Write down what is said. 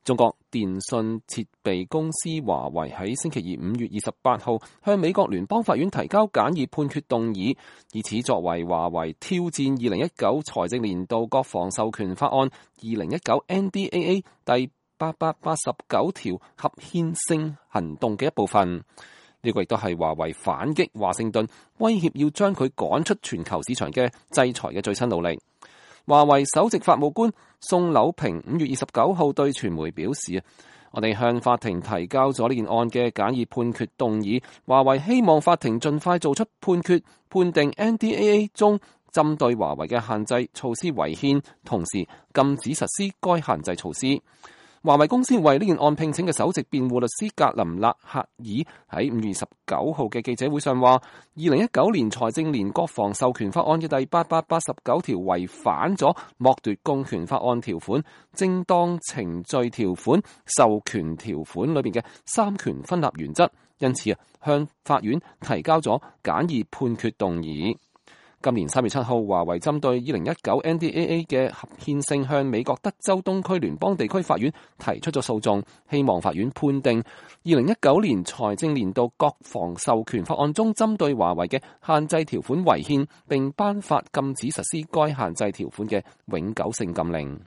中國電信設備公司華為喺星期二5月28號向美國聯邦法院提交簡易判決動議，以此作為華為挑戰2019財政年度國防授權法案2019 NDAA 第889條合憲性行動嘅一部分。呢個亦都係華為反擊華盛頓威脅要將佢趕出全球市場嘅制裁嘅最新努力。華為首席法務官宋柳平5月29號對傳媒表示，我哋向法庭提交咗呢件案嘅簡易判決動議，華為希望法庭盡快做出判決，判定 NDAA 中針對華為嘅限制措施違憲，同時禁止實施該限制措施。華為公司為呢件案聘請嘅首席辯護律師格林納赫爾喺5月19號嘅記者會上話，2019年財政年國防授權法案嘅第889條違反咗剝奪公權法案條款、正當程序條款、授權條款裏邊嘅三權分立原則，因此向法院提交咗簡易判決動議。今年3月7號，華為針對2019 NDAA 嘅合憲性向美國德州東區聯邦地區法院提出咗訴訟，希望法院判定2019年財政年度國防授權法案中針對華為嘅限制條款違憲，並頒發禁止實施該限制條款嘅永久性禁令。